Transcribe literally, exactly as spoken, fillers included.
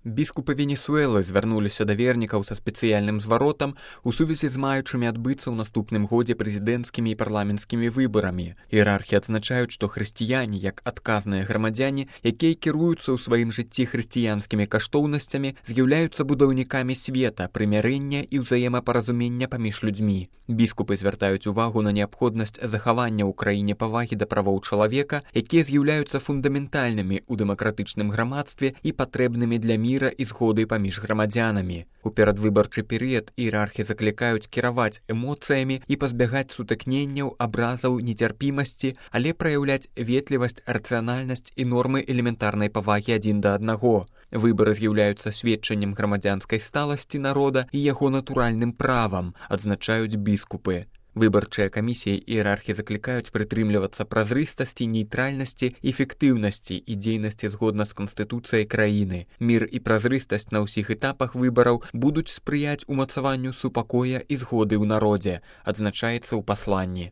Біскупы Венесуэлы звярнуліся да вернікаў са спецыяльным зваротам у сувязі з маючымі адбыцца ў наступным годзе прэзідэнцкімі і парламенцкімі выбарамі. Іерархі адзначаюць, што хрысціяне, як адказныя грамадзяне, якія кіруюцца ў сваім жыцці хрысціянскімі каштоўнасцямі, з'яўляюцца будаўнікамі света, прымярэння і ўзаемапаразумення паміж людзьмі. Біскупы звяртаюць увагу на неабходнасць захавання ў краіне павагі да правоў чалавека, якія з'яўляюцца фундаментальнымі ў дэмакратычным грамадстве і патрэбнымі для міра і згоды паміж грамадзянамі. У перадвыбарчы перыяд іерархі заклікаюць кіраваць эмоцыямі і пазбягаць сутыкненняў, абразаў, нецярпімасці, але праяўляць ветлівасць, рацыянальнасць і нормы элементарнай павагі адзін да аднаго. Выбары з'яўляюцца сведчаннем грамадзянскай сталасці народа і яго натуральным правам, адзначаюць біскупы. Выбарчыя камісіі іерархі заклікаюць прытрымлівацца празрыстасці, нейтральнасці, эфектыўнасці і дзейнасці згодна з канстытуцыяй краіны. Мір і празрыстасць на ўсіх этапах выбараў будуць спрыяць умацаванню супакоя і згоды ў народзе, адзначаецца ў пасланні.